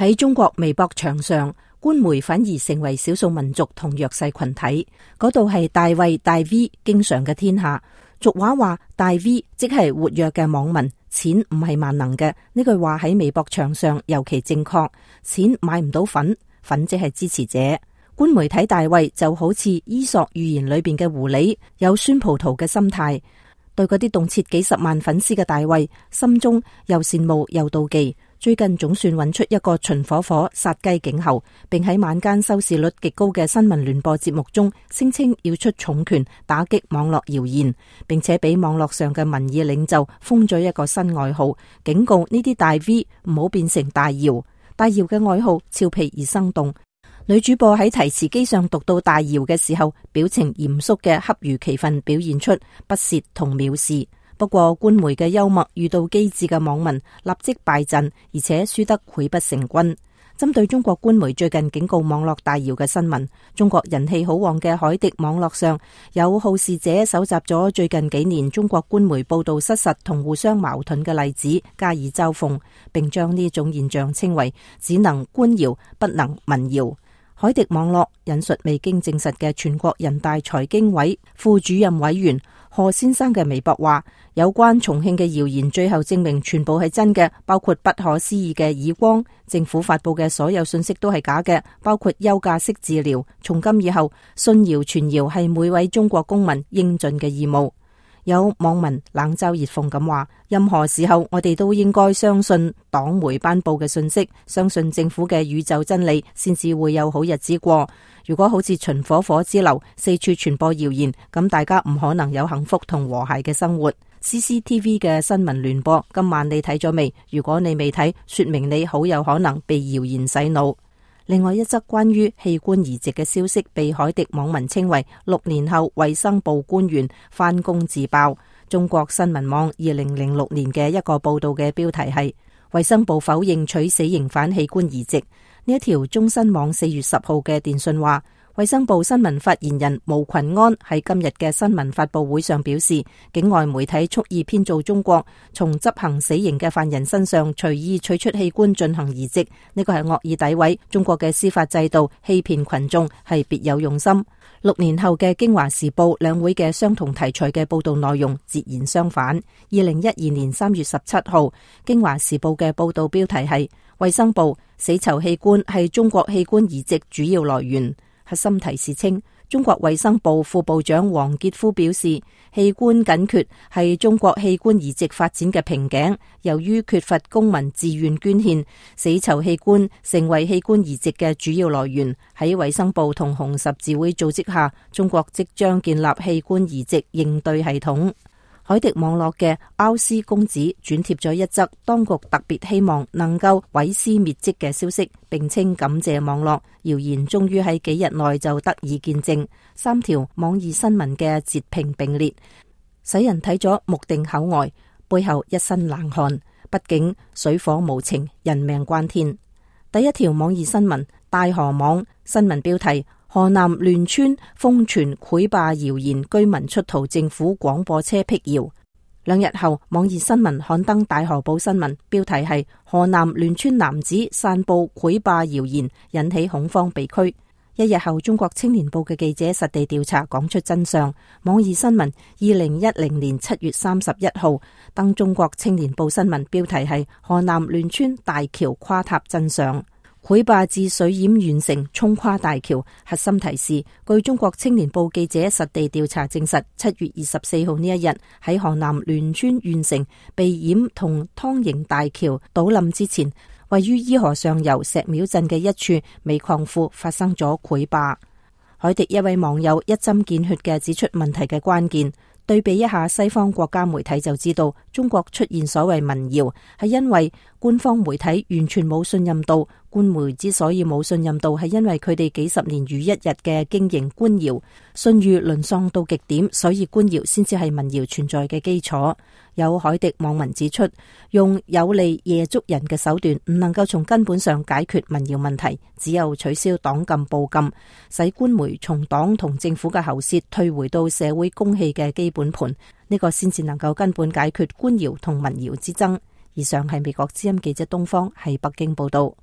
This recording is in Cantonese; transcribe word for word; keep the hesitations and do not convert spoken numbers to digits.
喺中國微博牆上，官媒反而成為少數民族同弱勢群體。嗰度係大衛大 V 經常嘅天下。俗話話大 V 即係活躍嘅網民，錢唔係萬能嘅。呢句話喺微博牆上尤其正確。錢買唔到粉，粉即係支持者。官媒睇大衛就好似伊索寓言裏邊嘅狐狸，有酸葡萄嘅心態。對嗰啲動輒幾十萬粉絲嘅大衛，心中又羨慕又妒忌。最近總算揾出一個秦火火殺雞儆猴，並喺晚間收視率極高嘅新聞聯播節目中聲稱要出重拳打擊網絡謠言，並且俾網絡上嘅民意領袖封咗一個新外號，警告呢啲大 V 唔好變成大姚。大姚嘅外號俏皮而生動。女主播喺提詞機上讀到大姚嘅時候，表情嚴肅嘅恰如其分表現出不屑同藐視。不過官媒嘅幽默遇到機智嘅網民立即敗陣，而且輸得潰不成軍。針對中國官媒最近警告網絡大姚嘅新聞，中國人氣好旺嘅海迪網絡上有好事者搜集咗最近幾年中國官媒報道失實同互相矛盾嘅例子加以嘲諷，並將呢種現象稱為只能官謠不能民謠。海迪網絡引述未經證實嘅全國人大財經委副主任委員賀先生嘅微博話，有關重慶嘅謠言最後證明全部係真嘅，包括不可思議嘅耳光。政府發佈嘅所有信息都係假嘅，包括休假式治療。從今以後，信謠傳謠係每位中國公民應盡嘅義務。有網民冷嘲熱諷咁話，任何時候我哋都應該相信黨媒頒布嘅信息，相信政府嘅宇宙真理，先至會有好日子過。如果好似秦火火之流四處傳播謠言，咁大家唔可能有幸福同和諧嘅生活。C C T V 嘅新聞聯播今晚你睇咗未？如果你未睇，說明你好有可能被謠言洗腦。另外一則關於器官移植嘅消息被海迪網民稱為六年後衛生部官員翻工自爆。中國新聞網二零零六年嘅一個報道嘅標題係衛生部否認取死刑犯器官移植。呢一條中新網四月十號嘅電訊話，衛生部新聞發言人毛群安喺今日嘅新聞發佈會上表示，境外媒體蓄意編造中國從執行死刑嘅犯人身上隨意取出器官進行移植，呢個係惡意詆毀中國嘅司法制度，欺騙群眾，係別有用心。六年後嘅京華時報兩會嘅相同題材嘅報道內容截然相反。二零一二年三月十七號，京華時報嘅報道標題係衛生部死囚器官係中國器官移植主要來源。核心提示稱，中國衛生部副部長王傑夫表示，器官緊缺係中國器官移植發展嘅瓶頸，由於缺乏公民自願捐獻，死囚器官成為器官移植嘅主要來源。喺衛生部同紅十字會組織下，中國即將建立器官移植應對系統。海迪網絡嘅奧斯公子轉貼咗一則當局特別希望能夠毀屍滅跡嘅消息，並稱感謝網絡，謠言終於喺幾日內就得以見證。三條網易新聞嘅截屏並列，使人睇咗目定口呆，背後一身冷汗。畢竟水火無情，人命關天。第一條網易新聞，大河網新聞標題：河南欒川瘋傳潰壩謠言，居民出逃政府廣播車闢謠。兩日後，網易新聞刊登大河報新聞，標題係河南欒川男子散布潰壩謠言，引起恐慌被拘。一日後，中國青年報嘅記者實地調查，講出真相。網易新聞二零一零年七月三十一號登中國青年報新聞，標題係河南欒川大橋垮塌真相。潰壩致水淹縣城，沖垮大橋。核心提示：據中國青年報記者實地調查證實，七月二十四號呢一日喺河南欒川縣城被淹同湯營大橋倒冧之前，位於伊河上游石廟鎮嘅一處煤礦庫發生咗潰壩。海迪一位網友一針見血嘅指出問題嘅關鍵。對比一下西方國家媒體就知道，中國出現所謂民謠係因為官方媒體完全冇信任度。官媒之所以冇信任度，係因為佢哋幾十年如一日嘅經營官謠，信譽淪喪到極點，所以官謠先至係民謠存在嘅基礎。有海迪網民指出，用有利夜捉人嘅手段唔能夠從根本上解決民謠問題，只有取消黨禁報禁，使官媒從黨同政府嘅喉舌退回到社會公器嘅基本盤，呢個先至能夠根本解決官謠同民謠之爭。以上係美國之音記者東方喺北京報道。